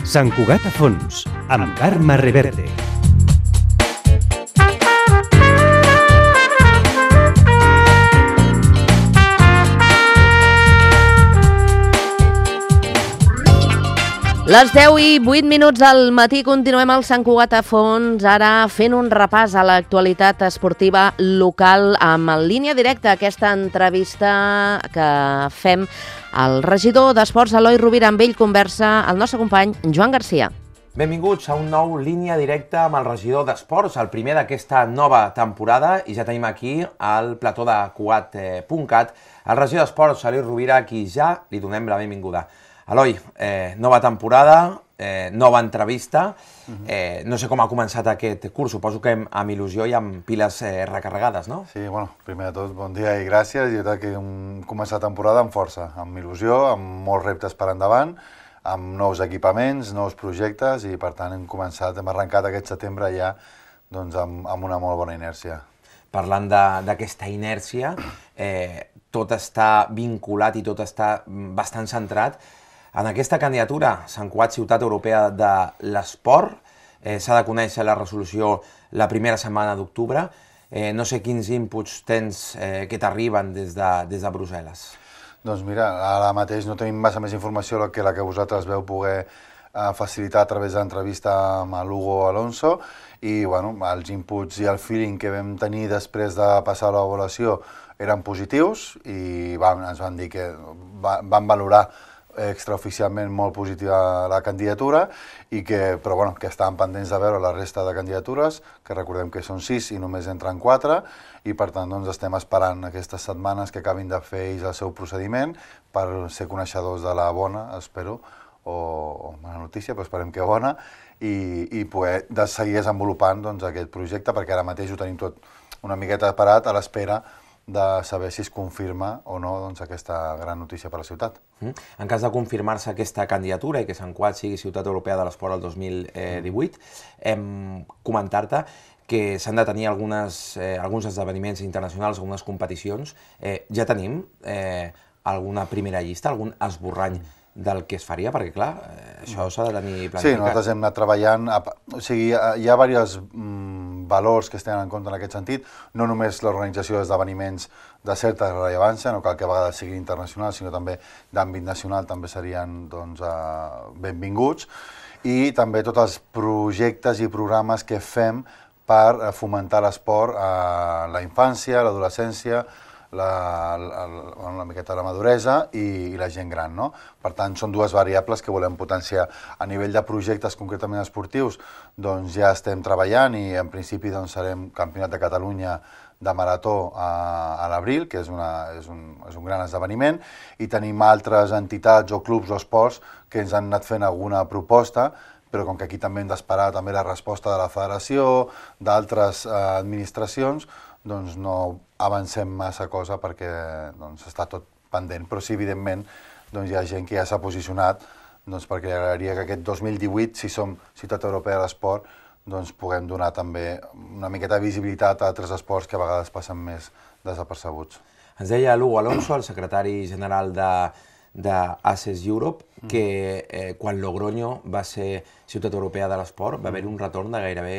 Sant Cugat a fons, amb Carme Reverte. Les 10:08 al matí, continuem al Sant Cugat a fons, ara fent un repàs a l'actualitat esportiva local amb en línia directa aquesta entrevista que fem al regidor d'Esports, Eloi Rovira. Amb ell conversa el nostre company Joan Garcia. Benvinguts a un nou línia directa amb el regidor d'Esports, el primer d'aquesta nova temporada, i ja tenim aquí al plató de Cugat.cat el regidor d'Esports, Eloi Rovira, a qui ja li donem la benvinguda. Eloi, nova temporada, nova entrevista. No sé com ha començat aquest curs, suposo que amb il·lusió i amb piles recarregades, no? Sí, bueno, primer de tot, bon dia i gràcies. Jo crec que hem començat temporada amb força, amb il·lusió, amb molts reptes per endavant, amb nous equipaments, nous projectes, i per tant hem arrencat aquest setembre ja amb una molt bona inèrcia. Parlant d'aquesta inèrcia, tot està vinculat i tot està bastant centrat en aquesta candidatura, Sant Cugat Ciutat Europea de l'Esport. S'ha de conèixer la resolució la primera setmana d'octubre. No sé quins inputs tens que t'arriben des de Brussel·les. Doncs mira, ara mateix no tenim massa més informació que la que vosaltres veu poder facilitar a través de l'entrevista amb l'Hugo Alonso, i bueno, els inputs i el feeling que vam tenir després de passar l'avaluació eren positius, i ens van dir que van valorar extraoficialment molt positiva la candidatura, però bueno, que estaven pendents de veure la resta de candidatures, que recordem que són 6 i només entren 4, i per tant estem esperant aquestes setmanes que acabin de fer ells el seu procediment per ser coneixedors de la bona, espero, o mala notícia, però esperem que bona, i poder seguir desenvolupant aquest projecte, perquè ara mateix ho tenim tot una miqueta parat a l'espera de saber si es confirma o no aquesta gran notícia per a la ciutat. En cas de confirmar-se aquesta candidatura i que Sant Cugat sigui Ciutat Europea de l'Esport el 2018, comentar-te que s'han de tenir alguns esdeveniments internacionals, algunes competicions. Ja tenim alguna primera llista, algun esborrany del que es faria, perquè clar, això s'ha de tenir planificat. Sí, nosaltres hem anat treballant, o sigui, hi ha diversos valors que es tenen en compte en aquest sentit, no només l'organització d'esdeveniments de certa rellevància, no cal que a vegades sigui internacional, sinó també d'àmbit nacional també serien benvinguts, i també tots els projectes i programes que fem per fomentar l'esport a la infància, l'adolescència, una miqueta la maduresa i la gent gran, no? Per tant, són dues variables que volem potenciar. A nivell de projectes concretament esportius, doncs ja estem treballant, i en principi serem Campionat de Catalunya de marató a l'abril, que és un gran esdeveniment, i tenim altres entitats o clubs o esports que ens han anat fent alguna proposta, però com que aquí també hem d'esperar també la resposta de la federació, d'altres administracions, doncs no avancem massa cosa perquè està tot pendent. Però sí, evidentment, hi ha gent que ja s'ha posicionat perquè agradaria que aquest 2018, si som Ciutat Europea de l'Esport, puguem donar també una miqueta de visibilitat a altres esports que a vegades passen més desapercebuts. Ens deia l'Hugo Alonso, el secretari general d'Access Europe, que quan Logroño va ser Ciutat Europea de l'Esport va haver-hi un retorn de gairebé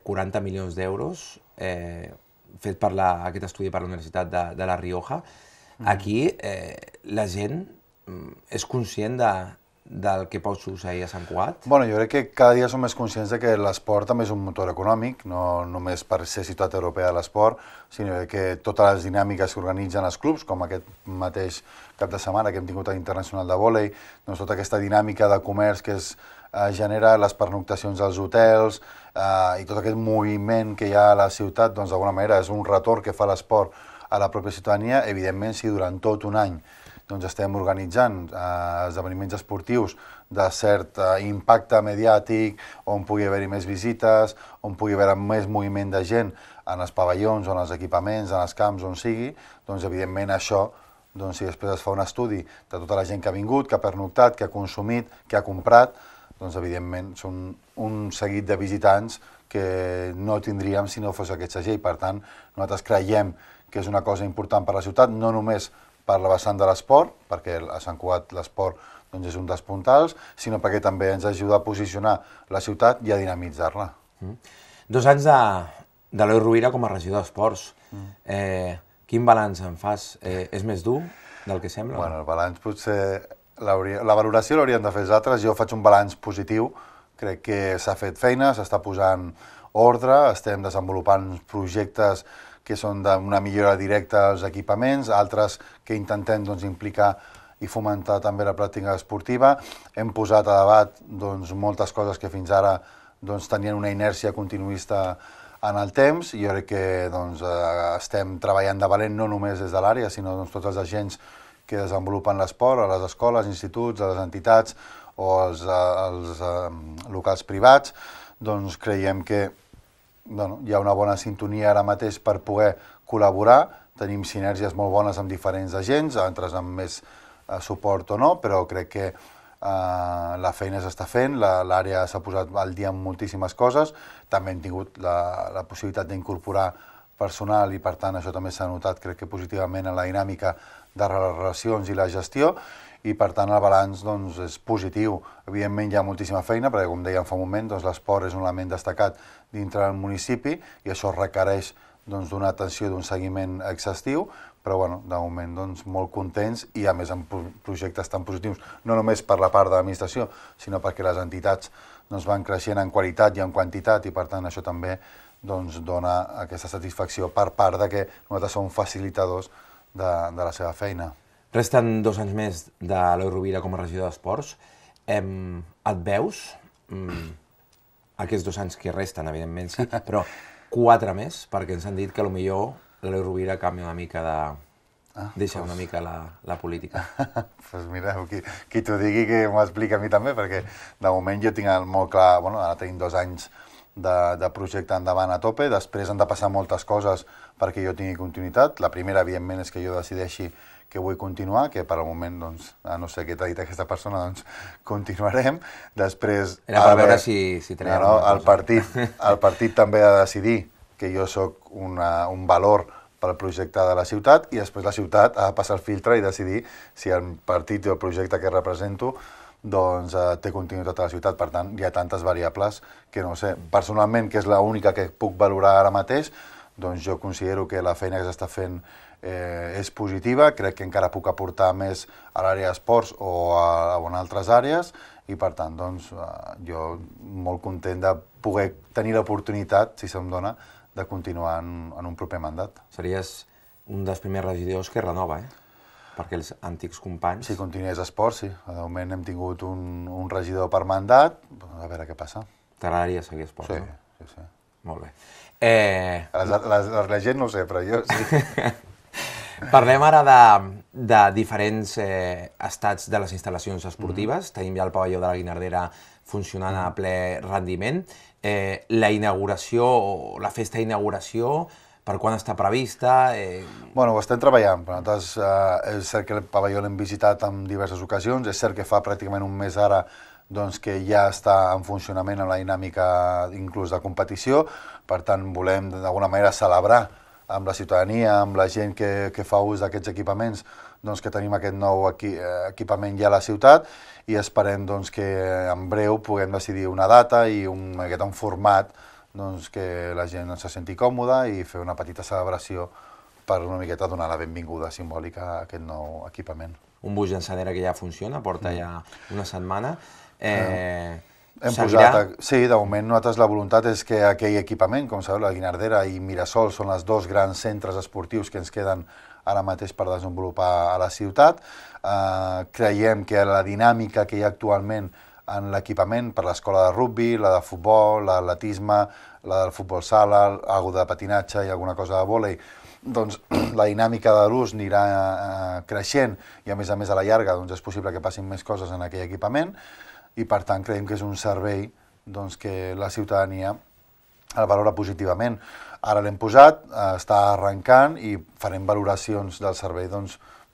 40 milions d'euros fet per aquest estudi per la Universitat de La Rioja. Aquí la gent és conscient del que pot succeir a Sant Cugat? Bueno, jo crec que cada dia som més conscients que l'esport també és un motor econòmic, no només per ser Ciutat Europea de l'Esport, sinó que totes les dinàmiques que organitzen els clubs, com aquest mateix cap de setmana que hem tingut a l'Internacional de Vòlei, tota aquesta dinàmica de comerç que es genera, les pernoctacions als hotels i tot aquest moviment que hi ha a la ciutat, d'alguna manera és un retorn que fa l'esport a la pròpia ciutadania. Evidentment, si durant tot un any estem organitzant esdeveniments esportius de cert impacte mediàtic, on pugui haver-hi més visites, on pugui haver més moviment de gent en els pavellons, en els equipaments, en els camps, on sigui, doncs evidentment això, si després es fa un estudi de tota la gent que ha vingut, que ha pernoctat, que ha consumit, que ha comprat, doncs evidentment són un seguit de visitants que no tindríem si no fos aquest segell. Per tant, nosaltres creiem que és una cosa important per a la ciutat, no només per la vessant de l'esport, perquè a Sant Cugat l'esport doncs és un dels puntals, sinó perquè també ens ajuda a posicionar la ciutat i a dinamitzar-la. 2 anys de l'Eloi Rovira com a regidor d'Esports. Quin balanç en fas? És més dur del que sembla? Bueno, el balanç potser... La valoració l'haurien de fer els altres. Jo faig un balanç positiu. Crec que s'ha fet feina, s'està posant ordre, estem desenvolupant projectes que són d'una millora directa als equipaments, altres que intentem implicar i fomentar també la pràctica esportiva. Hem posat a debat moltes coses que fins ara tenien una inèrcia continuista en el temps, i jo crec que estem treballant de valent no només des de l'àrea, sinó tots els agents que desenvolupen l'esport, a les escoles, instituts, a les entitats o als locals privats. Creiem que hi ha una bona sintonia ara mateix per poder col·laborar, tenim sinergies molt bones amb diferents agents, altres amb més suport o no, però crec que la feina s'està fent, l'àrea s'ha posat al dia amb moltíssimes coses, també hem tingut la possibilitat d'incorporar personal i per tant això també s'ha notat, crec que positivament, en la dinàmica de les relacions i la gestió, i per tant el balanç és positiu. Evidentment hi ha moltíssima feina, perquè com dèiem fa un moment, l'esport és un element destacat dintre del municipi i això requereix d'una atenció i d'un seguiment exhaustiu, però de moment molt contents i a més amb projectes tan positius, no només per la part de l'administració, sinó perquè les entitats van creixent en qualitat i en quantitat, i per tant això també dona aquesta satisfacció per part de que nosaltres som facilitadors de la seva feina. Resten 2 anys més de l'Eloi Rovira com a regidor d'Esports. Et veus, aquests 2 anys que resten, evidentment sí, però 4 més, perquè ens han dit que potser l'Eloi Rovira canvia una mica deixa una mica la política. Doncs mira, qui t'ho digui que m'ho explica a mi també, perquè de moment jo tinc molt clar, ara tenim 2 anys de projecte endavant a tope, després han de passar moltes coses perquè jo tingui continuïtat. La primera, evidentment, és que jo decideixi que vull continuar, que per al moment, no sé què t'ha dit aquesta persona, continuarem. Després... Era per veure si tenia alguna cosa. El partit també ha de decidir que jo sóc un valor pel projecte de la ciutat, i després la ciutat ha de passar el filtre i decidir si el partit i el projecte que represento té continuïtat a la ciutat. Per tant, hi ha tantes variables que no sé. Personalment, que és l'única que puc valorar ara mateix, jo considero que la feina que s'està fent és positiva, crec que encara puc aportar més a l'àrea d'esports o en altres àrees, i per tant, jo molt content de poder tenir l'oportunitat, si se'm dona, de continuar en un proper mandat. Series un dels primers regidors que renova, perquè els antics companys... Si continués esport, sí. De moment hem tingut un regidor per mandat, a veure què passa. T'agradaria seguir esport, no? Sí. Molt bé. La gent no ho sé, però jo sí. Parlem ara de diferents estats de les instal·lacions esportives. Tenim ja el pavelló de la Guinardera funcionant a ple rendiment. La inauguració, o la festa d'inauguració, per quan està prevista? Bueno, ho estem treballant. Nosaltres és cert que el pavelló l'hem visitat en diverses ocasions, és cert que fa pràcticament un mes ara que ja està en funcionament en la dinàmica inclús de competició, per tant volem d'alguna manera celebrar amb la ciutadania, amb la gent que fa ús d'aquests equipaments, que tenim aquest nou equipament ja a la ciutat, i esperem que en breu puguem decidir una data i un format que la gent se senti còmoda i fer una petita celebració per una miqueta donar la benvinguda simbòlica a aquest nou equipament. Un bus llançadera que ja funciona, porta ja una setmana. Sí, de moment nosaltres la voluntat és que aquell equipament, com sabeu, la Guinardera i Mirasol són els 2 grans centres esportius que ens queden ara mateix per desenvolupar a la ciutat. Creiem que la dinàmica que hi ha actualment en l'equipament per l'escola de rugby, la de futbol, l'atletisme, la del futbol sala, alguna de patinatge i alguna cosa de vòlei, la dinàmica de l'ús anirà creixent i a més a la llarga és possible que passin més coses en aquell equipament, i per tant creiem que és un servei que la ciutadania el valora positivament. Ara l'hem posat, està arrencant i farem valoracions del servei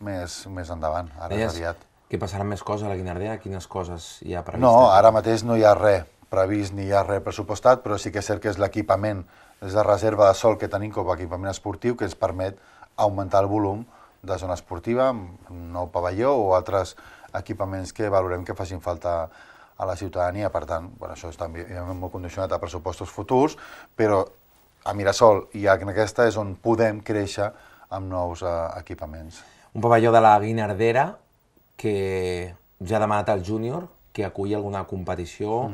més endavant, ara és aviat. Que passaran més coses a la Guinardera? Quines coses hi ha previstes? No, ara mateix no hi ha res previst ni hi ha res pressupostat, però sí que és cert que és l'equipament, és la reserva de sòl que tenim com a equipament esportiu que ens permet augmentar el volum de zona esportiva, un nou pavelló o altres equipaments que valorem que facin falta a la ciutadania. Per tant, això està molt condicionat a pressupostos futurs, però a Mirasol i en aquesta és on podem créixer amb nous equipaments. Un pavelló de la Guinardera que ja ha demanat al júnior que aculli alguna competició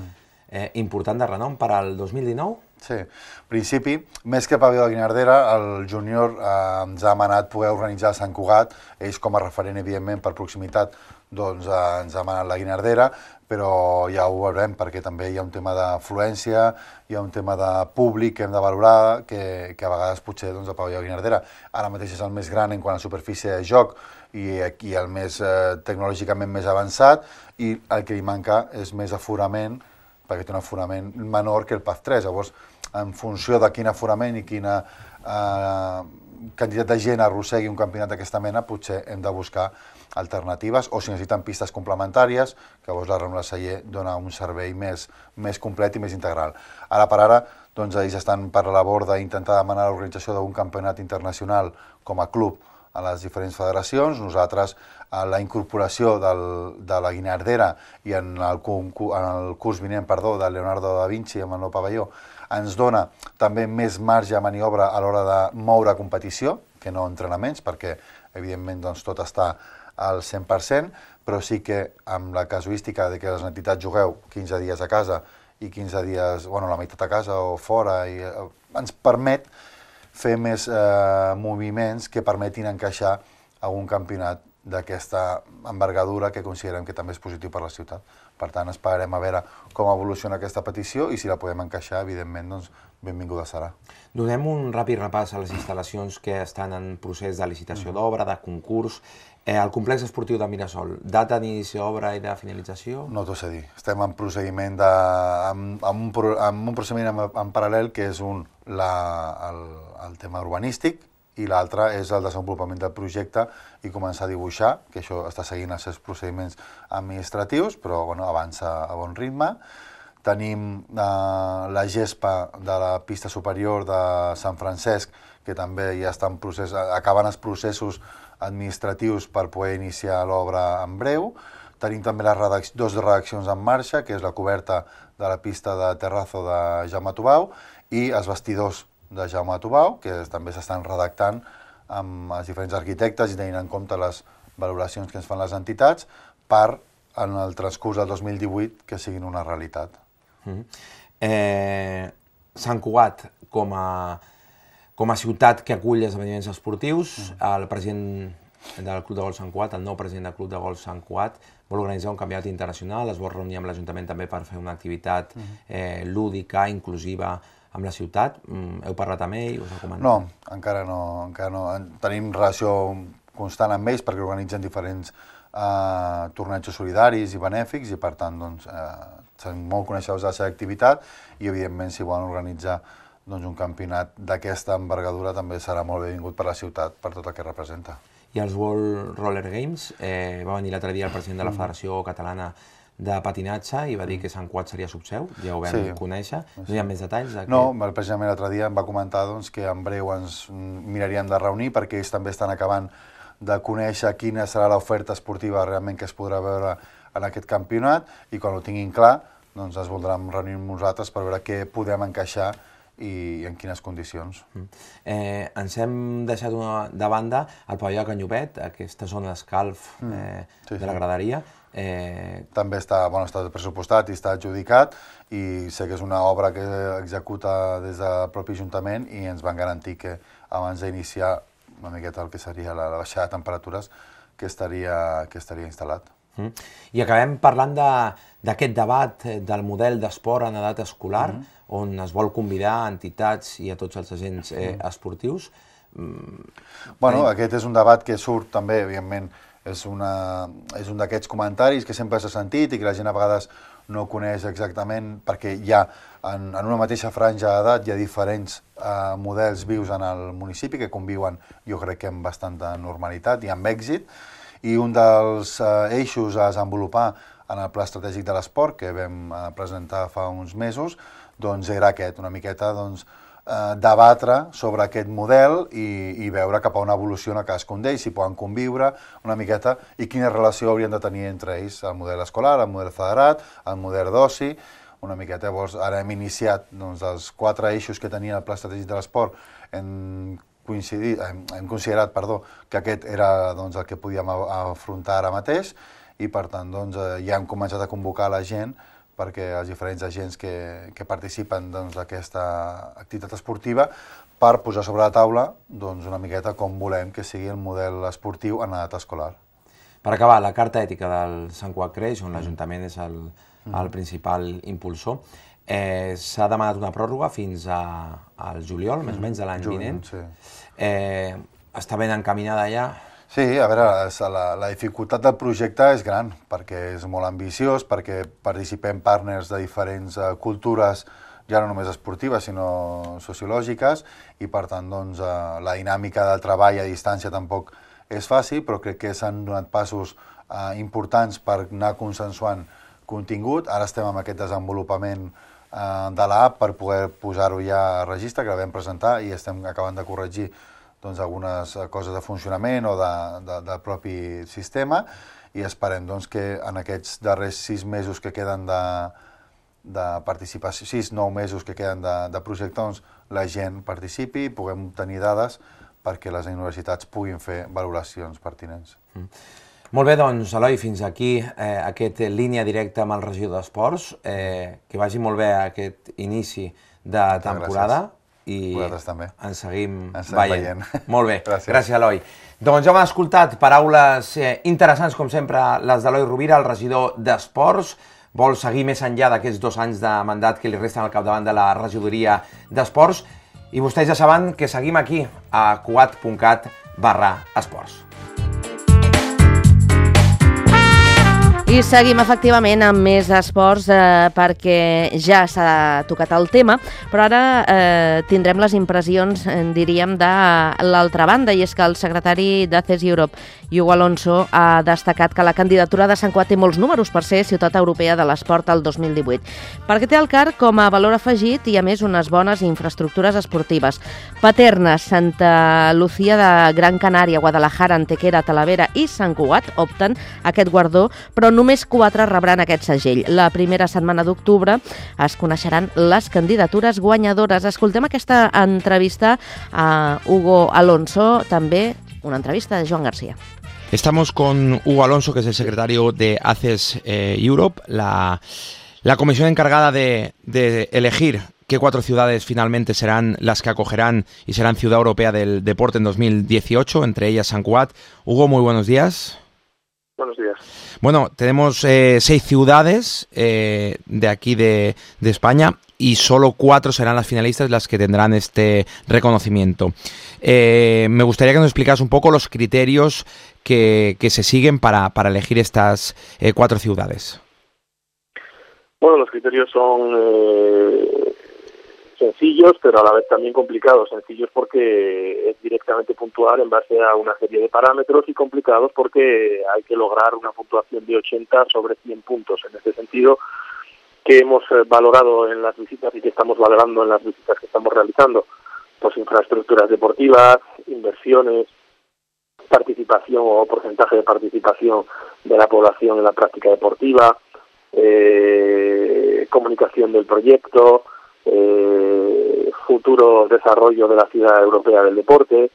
important de renom per al 2019? Sí, en principi, més que pavelló de Guinardera, el júnior ens ha demanat poder organitzar a Sant Cugat, ells com a referent, evidentment, per proximitat, doncs ens ha demanat la Guinardera, però ja ho veurem perquè també hi ha un tema d'afluència, hi ha un tema de públic que hem de valorar, que a vegades potser el pavelló de Guinardera ara mateix és el més gran en quant a superfície de joc i el més tecnològicament més avançat, i el que li manca és més aforament, perquè té un aforament menor que el PAF 3. Llavors, en funció de quin aforament i quina quantitat de gent arrossegui un campionat d'aquesta mena, potser hem de buscar alternatives, o si necessiten pistes complementàries, que llavors la Rambla Celler dona un servei més complet i més integral. Ara per ara, doncs, ells estan per la labor d'intentar demanar l'organització d'un campionat internacional com a club a les diferents federacions. Nosaltres, la incorporació de la Guinardera i en el curs vinent, de Leonardo da Vinci amb el nou pavelló, ens dona també més marge de maniobra a l'hora de moure competició, que no entrenaments, perquè evidentment doncs, tot està al 100%, però sí que amb la casuística de que les entitats jugueu 15 dies a casa i 15 dies, la meitat a casa o fora, ens permet fer més moviments que permetin encaixar algun campionat d'aquesta envergadura que considerem que també és positiu per la ciutat. Per tant, esperarem a veure com evoluciona aquesta petició i si la podem encaixar, evidentment, doncs, benvinguda serà. Donem un ràpid repàs a les instal·lacions que estan en procés de licitació d'obra, de concurs. El complex esportiu de Mirasol, data d'inici d'obra i de finalització? No t'ho sé dir. Estem en procediment amb un procediment en paral·lel, que és el tema urbanístic, i l'altre és el desenvolupament del projecte i començar a dibuixar, que això està seguint els seus procediments administratius, però avança a bon ritme. Tenim la gespa de la pista superior de Sant Francesc, que també ja està en procés, acaben els processos administratius per poder iniciar l'obra en breu. Tenim també dues redaccions en marxa, que és la coberta de la pista de terrazzo de Jaume Tubau i els vestidors de Jaume Tubau, que també s'estan redactant amb els diferents arquitectes i tenint en compte les valoracions que ens fan les entitats per, en el transcurs del 2018, que siguin una realitat. Sant Cugat, com a ciutat que acull esdeveniments esportius, el president del Club de Golf Sant Cugat, el nou president del Club de Golf Sant Cugat, vol organitzar un campionat internacional, es vol reunir amb l'Ajuntament també per fer una activitat lúdica, inclusiva, amb la ciutat. Heu parlat amb ell? Us ha comentat? No, encara no. Tenim relació constant amb ells perquè organitzen diferents tornejos solidaris i benèfics i, per tant, són molt coneixedors de la seva activitat i, evidentment, si volen organitzar un campionat d'aquesta envergadura també serà molt benvingut per la ciutat, per tot el que representa. I els World Roller Games, va venir l'altre dia el president de la Federació Catalana de Patinatge i va dir que Sant Cugat seria subseu, ja ho vam conèixer. No hi ha més detalls? No, precisament l'altre dia em va comentar que en breu ens miraríem de reunir perquè ells també estan acabant de conèixer quina serà l'oferta esportiva realment que es podrà veure en aquest campionat i quan ho tinguin clar doncs es voldran reunir amb nosaltres per veure què podem encaixar i en quines condicions. Ens hem deixat de banda el pavelló de Canyobet, aquesta zona d'escalf de la graderia. També està pressupostat i està adjudicat i sé que és una obra que executa des del propi Ajuntament i ens van garantir que abans d'iniciar una miqueta el que seria la baixada de temperatures que estaria instal·lat. I acabem parlant d'aquest debat del model d'esport en edat escolar, on es vol convidar entitats i a tots els agents esportius. Aquest és un debat que surt també, evidentment, és un d'aquests comentaris que sempre s'ha sentit i que la gent a vegades no coneix exactament perquè hi ha, en una mateixa franja d'edat, hi ha diferents models vius en el municipi que conviuen, jo crec que amb bastanta normalitat i amb èxit. I un dels eixos a desenvolupar en el Pla Estratègic de l'Esport, que vam presentar fa uns mesos, era aquest, una miqueta debatre sobre aquest model i veure cap a on evoluciona cadascun d'ells, si poden conviure una miqueta i quina relació haurien de tenir entre ells, el model escolar, el model federat, el model d'oci, una miqueta. Llavors, ara hem iniciat els 4 eixos que tenia el Pla Estratègic de l'Esport, hem considerat que aquest era el que podíem afrontar ara mateix i, per tant, ja hem començat a convocar la gent perquè els diferents agents que participen d'aquesta activitat esportiva per posar sobre la taula una miqueta com volem que sigui el model esportiu en edat escolar. Per acabar, la Carta Ètica del Sant Cugat Creix, on l'Ajuntament és el principal impulsor, s'ha demanat una pròrroga fins al juliol, més o menys de l'any vinent. Està ben encaminada ja? Sí, a veure, la dificultat del projecte és gran, perquè és molt ambiciós, perquè participem partners de diferents cultures, ja no només esportives, sinó sociològiques, i per tant, la dinàmica del treball a distància tampoc és fàcil, però crec que s'han donat passos importants per anar consensuant contingut. Ara estem amb aquest desenvolupament de l'app per poder posar-ho ja a registre, que la vam presentar i estem acabant de corregir algunes coses de funcionament o del propi sistema, i esperem que en aquests darrers 6 mesos que queden de participació, 6-9 mesos que queden de projecte, la gent participi i puguem obtenir dades perquè les universitats puguin fer valoracions pertinents. Molt bé, doncs, Eloi, fins aquí aquest línia directa amb el regidor d'Esports. Que vagi molt bé aquest inici de temporada. I ens seguim veient. Molt bé, gràcies, Eloi. Doncs ja hem escoltat paraules interessants, com sempre, les d'Eloi Rovira, el regidor d'Esports. Vol seguir més enllà d'aquests 2 anys de mandat que li resten al capdavant de la regidoria d'Esports. I vostès ja saben que seguim aquí, a cugat.cat/esports. I seguim efectivament amb més esports perquè ja s'ha tocat el tema, però ara tindrem les impressions, diríem, de l'altra banda, i és que el secretari d'ACES Europe, Hugo Alonso, ha destacat que la candidatura de Sant Cugat té molts números per ser ciutat europea de l'esport el 2018, perquè té el CAR com a valor afegit i, a més, unes bones infraestructures esportives. Paterna, Santa Lucía de Gran Canària, Guadalajara, Antequera, Talavera i Sant Cugat opten a aquest guardó, però només 4 rebran aquest segell. La primera setmana d'octubre es coneixeran les candidatures guanyadores. Escoltem aquesta entrevista a Hugo Alonso, també una entrevista de Joan García. Estamos con Hugo Alonso, que es el secretario de ACES Europe, la comisión encargada de elegir qué 4 ciudades finalmente serán las que acogerán y serán Ciudad Europea del Deporte en 2018, entre ellas Sant Cugat. Hugo, muy buenos días. Buenos días. Bueno, tenemos 6 ciudades de aquí de España y solo 4 serán las finalistas las que tendrán este reconocimiento. Me gustaría que nos explicas un poco los criterios que se siguen para elegir estas 4 ciudades. Bueno, los criterios son sencillos, pero a la vez también complicados. Sencillos porque es directamente puntuar en base a una serie de parámetros, y complicados porque hay que lograr una puntuación de 80 sobre 100 puntos. En este sentido, que hemos valorado en las visitas y que estamos valorando en las visitas que estamos realizando, pues infraestructuras deportivas, inversiones, participación o porcentaje de participación de la población en la práctica deportiva, comunicación del proyecto, futuro desarrollo de la Ciudad Europea del Deporte,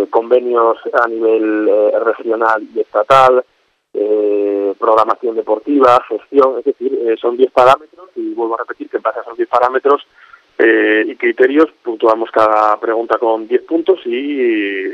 convenios a nivel regional y estatal, programación deportiva, gestión, es decir, son 10 parámetros, y vuelvo a repetir que en base a esos 10 parámetros y criterios puntuamos cada pregunta con 10 puntos, y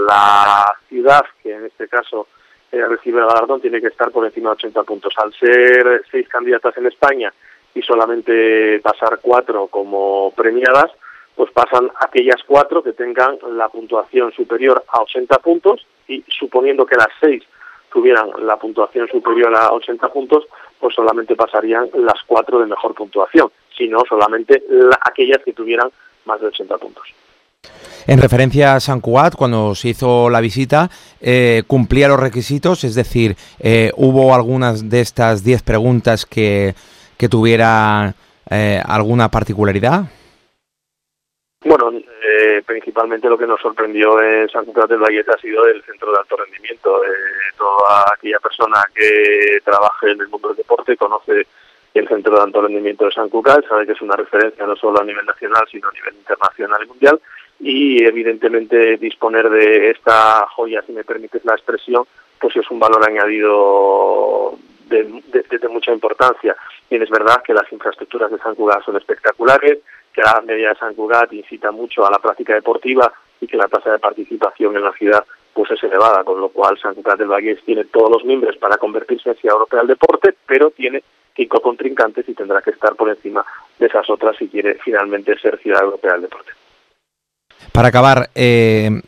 la ciudad, que en este caso recibe el galardón, tiene que estar por encima de 80 puntos. Al ser 6 candidatas en España y solamente pasar 4 como premiadas, pues pasan aquellas 4 que tengan la puntuación superior a 80 puntos, y suponiendo que las 6 tuvieran la puntuación superior a 80 puntos, pues solamente pasarían las 4 de mejor puntuación, sino solamente aquellas que tuvieran más de 80 puntos. En referencia a Sant Cugat, cuando se hizo la visita, ¿cumplía los requisitos? Es decir, ¿hubo algunas de estas 10 preguntas que tuviera alguna particularidad? Bueno, principalmente lo que nos sorprendió en Sant Cugat del Vallès ha sido el centro de alto rendimiento. Toda aquella persona que trabaje en el mundo del deporte conoce el centro de alto rendimiento de Sant Cugat, sabe que es una referencia no solo a nivel nacional, sino a nivel internacional y mundial, y evidentemente disponer de esta joya, si me permites la expresión, pues es un valor añadido de mucha importancia. Bien, es verdad que las infraestructuras de Sant Cugat son espectaculares, que la media de Sant Cugat incita mucho a la práctica deportiva y que la tasa de participación en la ciudad pues es elevada, con lo cual Sant Cugat del Vallès tiene todos los mimbres para convertirse en ciudad europea del deporte, pero tiene 5 contrincantes y tendrá que estar por encima de esas otras si quiere finalmente ser ciudad europea del deporte. Para acabar, ¿qué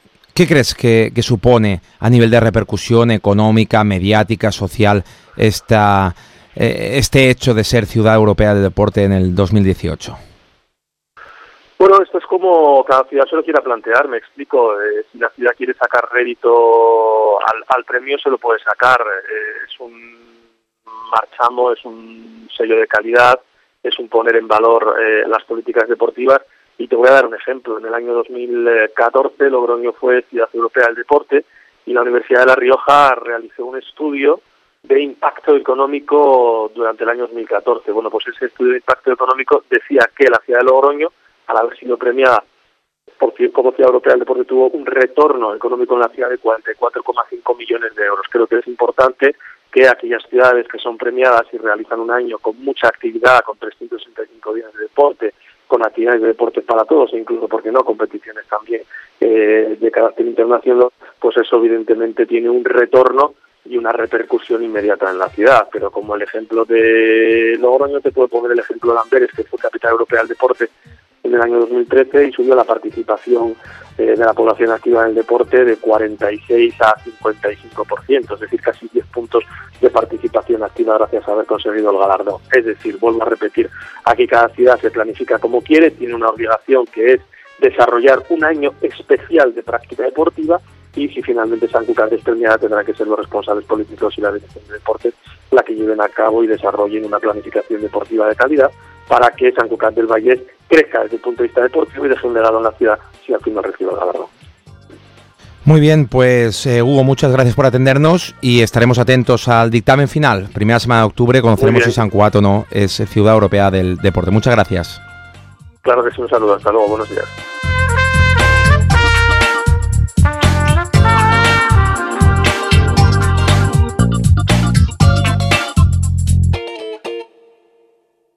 crees que supone a nivel de repercusión económica, mediática, social este hecho de ser ciudad europea del deporte en el 2018? Bueno, esto es como cada ciudad se lo quiera plantear, me explico. Si la ciudad quiere sacar rédito al premio, se lo puede sacar. Es un marchamo, es un sello de calidad, es un poner en valor las políticas deportivas. Y te voy a dar un ejemplo. En el año 2014 Logroño fue ciudad europea del deporte y la Universidad de La Rioja realizó un estudio de impacto económico durante el año 2014. Bueno, pues ese estudio de impacto económico decía que la ciudad de Logroño, al haber sido premiada como ciudad europea del deporte, tuvo un retorno económico en la ciudad de 44,5 millones de euros. Creo que es importante que aquellas ciudades que son premiadas y realizan un año con mucha actividad, con 365 días de deporte, con actividades de deporte para todos e incluso, ¿por qué no?, competiciones también de carácter internacional, pues eso evidentemente tiene un retorno y una repercusión inmediata en la ciudad. Pero como el ejemplo de Logroño, te puedo poner el ejemplo de Amberes, que fue capital europea del deporte en el año 2013 y subió la participación de la población activa en el deporte de 46 a 55%, es decir, casi 10 puntos de participación activa gracias a haber conseguido el galardón. Es decir, vuelvo a repetir, aquí cada ciudad se planifica como quiere, tiene una obligación que es desarrollar un año especial de práctica deportiva y si finalmente Sant Cugat es premiada tendrán que ser los responsables políticos y la dirección de deportes la que lleven a cabo y desarrollen una planificación deportiva de calidad para que Sant Cugat del Vallès crezca desde el punto de vista deportivo y deje un legado en la ciudad si al final recibe el galardón. Muy bien, pues Hugo, muchas gracias por atendernos y estaremos atentos al dictamen final. Primera semana de octubre conoceremos si Sant Cugat o no es ciudad europea del deporte. Muchas gracias. Claro que sí, un saludo. Hasta luego, buenos días.